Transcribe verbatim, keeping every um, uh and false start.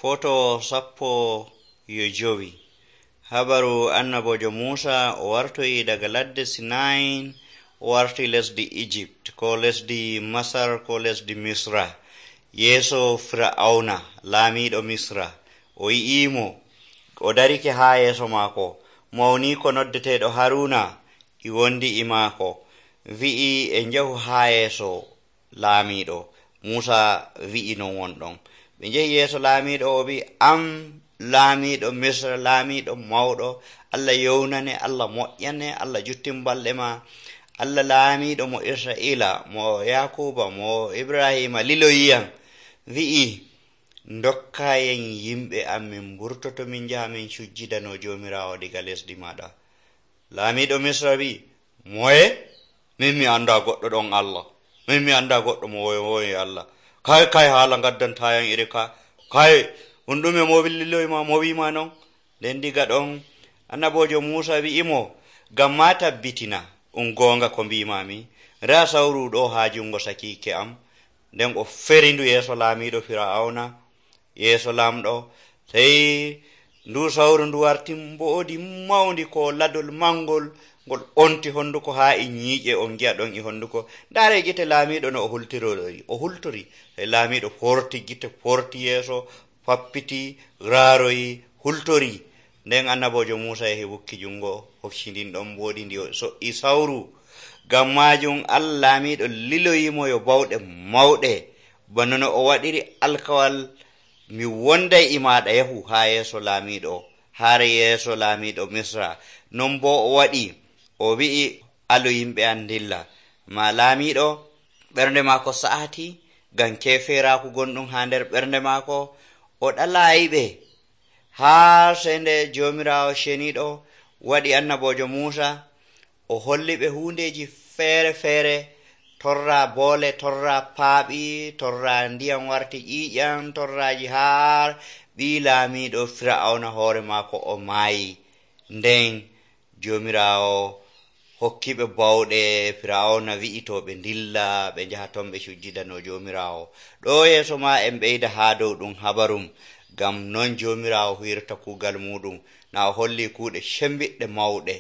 Foto sappo yo jowi. Habaru annabojo Musa o wartoyi daga ladde Sinai o warti lesdi Egypt ko lesdi Masar ko lesdi Misra. Yeso Fir'auna laamiɗo Misra o yi'imo o darike ha yeso maako. Mawni ko noddeteɗo Haruna i wondi e maako, wi'i e njahu ha yeso laamiɗo. Musa wi'i non wonɗon. Ɓe njehi yeso laamiɗo o wi am laamiɗo Misra, laamiɗo mawɗo, Allah yewnane, Allah moƴƴane, Allah juttin balɗe ma, Allah laamiɗo mo Israila, mo Yakuba, mo Ibrahima liloyiyam, wi'i dokkayen yimɓe am min burtoto min jaha min sujjidano jomirawo diga lesdi maɗa. Laamiɗo Misra wi, moye? Min mi anda goɗɗo ɗon Allah, min mi anda goɗɗo mo woyi Allah. Kay kay haala gaddantayan iri ka, kay on ɗume mo liloyima mo wima non. Nden diga ɗon annabojo Musa wi'imo, ngam ma tabbitina on gonga ko mbimami, ra sawru ɗo ha jungo sakike am. Nden o ferindu yeso laamiɗo Fir'auna, yeso lamɗo, sey ndu sawru ndu warti mboodi mawndi ko ladol mangol ngol onti honduko ha e ñiiƴe on gi'a ɗon e honduko. Ndaare gite laamiɗo no o hultirori o hultori, sey laamiɗo forti gite forti yeso fappiti raaroyi hultori. Nden annabojo Musa yahi wukki jungo hocci ndin ɗon mboodi ndi o so'i sawru. Ngam majum Allah laamiɗo liloyimo yo bawɗe mawɗe, bano no o waɗiri alkawal, mi wonday e maɗa yahu ha yeso laamiɗo, haare yeso laamiɗo Misra. Non bo o waɗi, o wi'i alu yimɓe an dilla. Ma laamiɗo ɓernde maako sa'ati ngam keferaku gonɗum ha nder ɓernde maako, o ɗalayiɓe. Ha sende jomirawo sheniɗo waɗi annabojo Musa, o holliɓe hundeji feere feere, torra boole, torra paaɓi, torra ndiyam warti ƴiƴam, torraji har ɓi laamiɗo Fir'auna hoore maako o maayi. Nden jomirawo hokkiɓe bawɗe. Fir'auna wi'ito ɓe dilla ɓe njaha ton ɓe sujjidano jomirawo. Ɗo yeso ma en ɓeyda ha dow ɗum habarum, ngam non jomirawo hirta kuugal muɗum na o holli kuuɗe shembiɗɗe mawɗe.